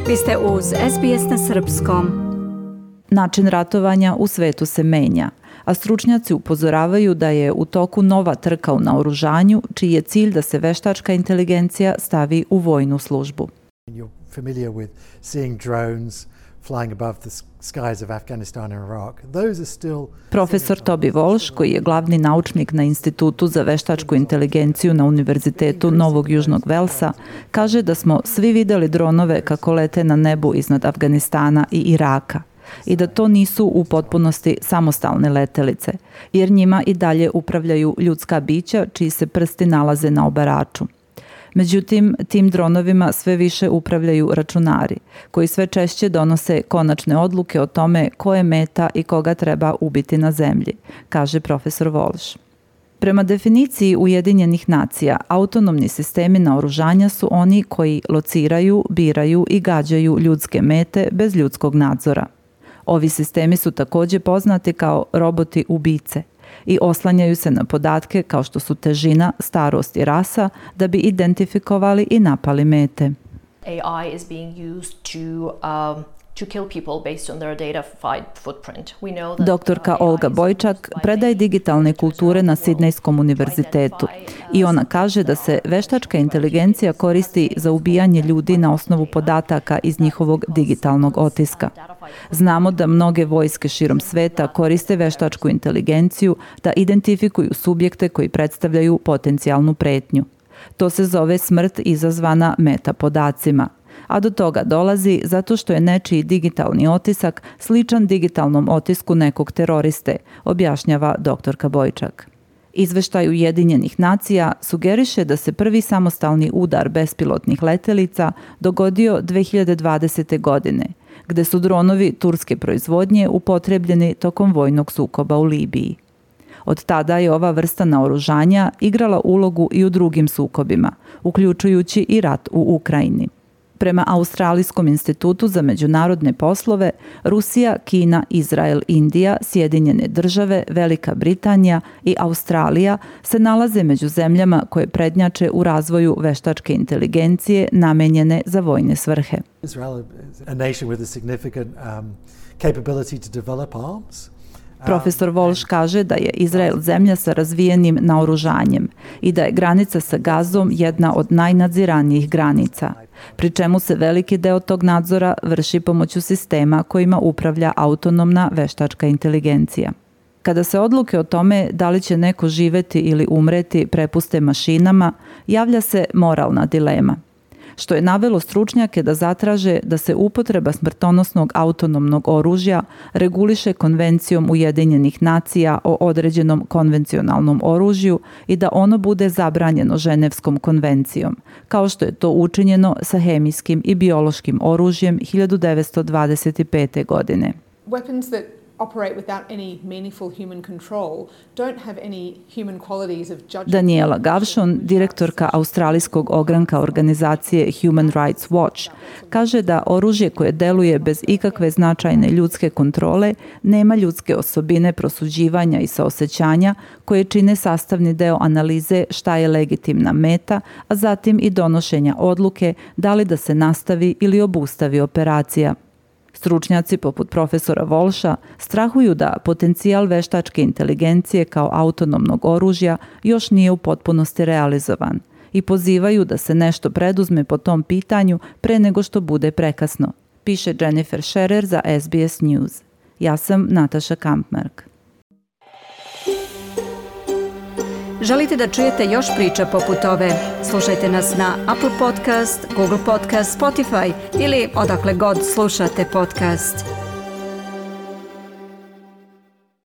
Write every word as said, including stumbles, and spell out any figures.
Vi ste uz S B S na srpskom. Način ratovanja u svetu se menja, a stručnjaci upozoravaju da je u toku nova trka u naoružanju, čiji je cilj da se veštačka inteligencija stavi u vojnu službu. You're familiar with seeing drones flying above the skies of Afghanistan and Iraq. Those are still... Profesor Toby Walsh, koji je glavni naučnik na Institutu za veštačku inteligenciju na Univerzitetu Novog Južnog Velsa, kaže da smo svi videli dronove kako lete na nebu iznad Afganistana i Iraka i da to nisu u potpunosti samostalne letelice, jer njima i dalje upravljaju ljudska bića čiji se prsti nalaze na obaraču. Međutim, tim dronovima sve više upravljaju računari, koji sve češće donose konačne odluke o tome ko je meta i koga treba ubiti na zemlji, kaže profesor Walsh. Prema definiciji Ujedinjenih nacija, autonomni sistemi naoružanja su oni koji lociraju, biraju i gađaju ljudske mete bez ljudskog nadzora. Ovi sistemi su također poznati kao roboti ubice i oslanjaju se na podatke kao što su težina, starost i rasa da bi identifikovali i napali mete. A I is being used to um, to kill people based on their data footprint. We know that Doktorka Olga Bojčak predaje digitalne kulture na Sidnejskom univerzitetu i ona kaže da se veštačka inteligencija koristi za ubijanje ljudi na osnovu podataka iz njihovog digitalnog otiska. Znamo da mnoge vojske širom sveta koriste veštačku inteligenciju da identifikuju subjekte koji predstavljaju potencijalnu pretnju. To se zove smrt izazvana metapodacima, a do toga dolazi zato što je nečiji digitalni otisak sličan digitalnom otisku nekog teroriste, objašnjava doktorka Bojčak. Izveštaj Ujedinjenih nacija sugeriše da se prvi samostalni udar bespilotnih letelica dogodio dve hiljade dvadesete. godine, gde su dronovi turske proizvodnje upotrebljeni tokom vojnog sukoba u Libiji. Od tada je ova vrsta naoružanja igrala ulogu i u drugim sukobima, uključujući i rat u Ukrajini. Prema Australijskom institutu za međunarodne poslove, Rusija, Kina, Izrael, Indija, Sjedinjene države, Velika Britanija i Australija se nalaze među zemljama koje prednjače u razvoju veštačke inteligencije namenjene za vojne svrhe. Israel is a nation with a significant um, capability to develop arms. Profesor Walsh kaže da je Izrael zemlja sa razvijenim naoružanjem i da je granica sa Gazom jedna od najnadziranijih granica, pri čemu se veliki deo tog nadzora vrši pomoću sistema kojima upravlja autonomna veštačka inteligencija. Kada se odluke o tome da li će neko živeti ili umreti prepuste mašinama, javlja se moralna dilema, što je navelo stručnjake da zatraže da se upotreba smrtonosnog autonomnog oružja reguliše Konvencijom Ujedinjenih nacija o određenom konvencionalnom oružju i da ono bude zabranjeno Ženevskom konvencijom, kao što je to učinjeno sa hemijskim i biološkim oružjem hiljadu devetsto dvadeset pete. godine. Weapons that operate without any meaningful human control don't have any human qualities of judgment. Daniela Gavšon, direktorka australijskog ogranka organizacije Human Rights Watch, kaže da oružje koje deluje bez ikakve značajne ljudske kontrole nema ljudske osobine prosuđivanja i saosećanja koje čine sastavni deo analize šta je legitimna meta, a zatim i donošenja odluke da li da se nastavi ili obustavi operacija. Stručnjaci poput profesora Walsha strahuju da potencijal veštačke inteligencije kao autonomnog oružja još nije u potpunosti realizovan i pozivaju da se nešto preduzme po tom pitanju pre nego što bude prekasno, piše Jennifer Scherer za S B S News. Ja sam Nataša Kampmark. Želite da čujete još priča poput ove? Slušajte nas na Apple Podcast, Google Podcast, Spotify ili odakle god slušate podcast.